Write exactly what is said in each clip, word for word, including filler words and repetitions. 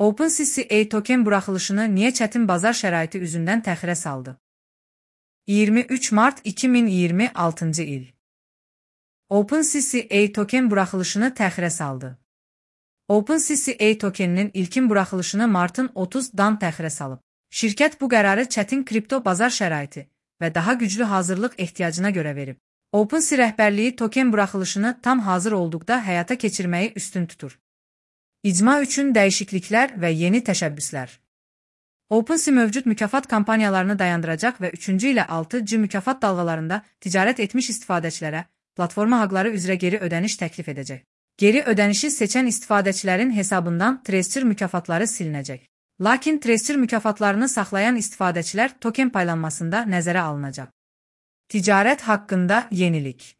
OpenCCA token buraxılışını niyə çətin bazar şəraiti üzündən təxirə saldı? iyirmi üç mart iki min iyirmi altıncı il. OpenCCA token buraxılışını təxirə saldı. OpenCCA tokeninin ilkin buraxılışını martın otuzundan təxirə salıb. Şirkət bu qərarı çətin kripto bazar şəraiti və daha güclü hazırlıq ehtiyacına görə verib. OpenSea rəhbərliyi token buraxılışını tam hazır olduqda həyata keçirməyi üstün tutur. İcma üçün dəyişikliklər və yeni təşəbbüslər. OpenSea mövcud mükafat kampaniyalarını dayandıracaq və üçüncü ilə altıncı mükafat dalğalarında ticarət etmiş istifadəçilərə platforma haqları üzrə geri ödəniş təklif edəcək. Geri ödənişi seçən istifadəçilərin hesabından Treasure mükafatları silinəcək. Lakin Treasure mükafatlarını saxlayan istifadəçilər token paylanmasında nəzərə alınacaq. Ticarət haqqında yenilik.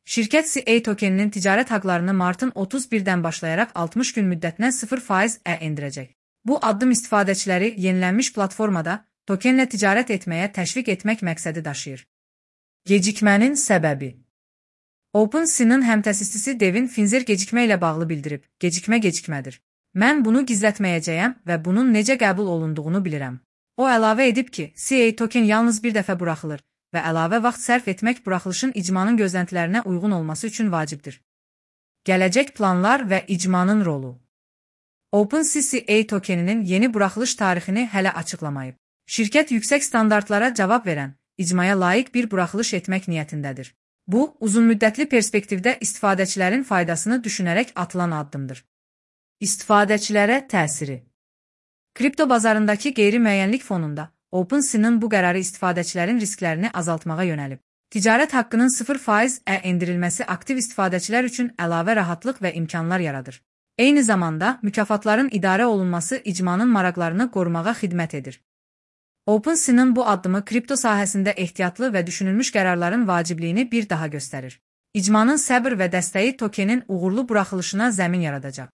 Şirkət C A tokeninin ticarət haqlarını martın otuz birdən başlayaraq altmış gün müddətinə sıfır faiz endirəcək. Bu addım istifadəçiləri yenilənmiş platformada tokenlə ticarət etməyə təşviq etmək məqsədi daşıyır. Gecikmənin səbəbi. OpenSea'nın həmtəsisçisi Devin Finzer gecikmə ilə bağlı bildirib, gecikmə gecikmədir. Mən bunu gizlətməyəcəyəm və bunun necə qəbul olunduğunu bilirəm. O əlavə edib ki, C A token yalnız bir dəfə buraxılır və əlavə vaxt sərf etmək buraxılışın icmanın gözləntilərinə uyğun olması üçün vacibdir. Gələcək planlar və icmanın rolu. OpenCCA tokeninin yeni buraxılış tarixini hələ açıqlamayıb. Şirkət yüksək standartlara cavab verən, icmaya layiq bir buraxılış etmək niyyətindədir. Bu, uzunmüddətli perspektivdə istifadəçilərin faydasını düşünərək atılan addımdır. İstifadəçilərə təsiri. Kripto bazarındakı qeyri-müəyyənlik fonunda OpenSea'nın bu qərarı istifadəçilərin risklərini azaltmağa yönəlib. Ticarət haqqının sıfır faiz endirilməsi aktiv istifadəçilər üçün əlavə rahatlıq və imkanlar yaradır. Eyni zamanda, mükafatların idarə olunması icmanın maraqlarını qorumağa xidmət edir. OpenSea'nın bu addımı kripto sahəsində ehtiyatlı və düşünülmüş qərarların vacibliyini bir daha göstərir. İcmanın səbr və dəstəyi tokenin uğurlu buraxılışına zəmin yaradacaq.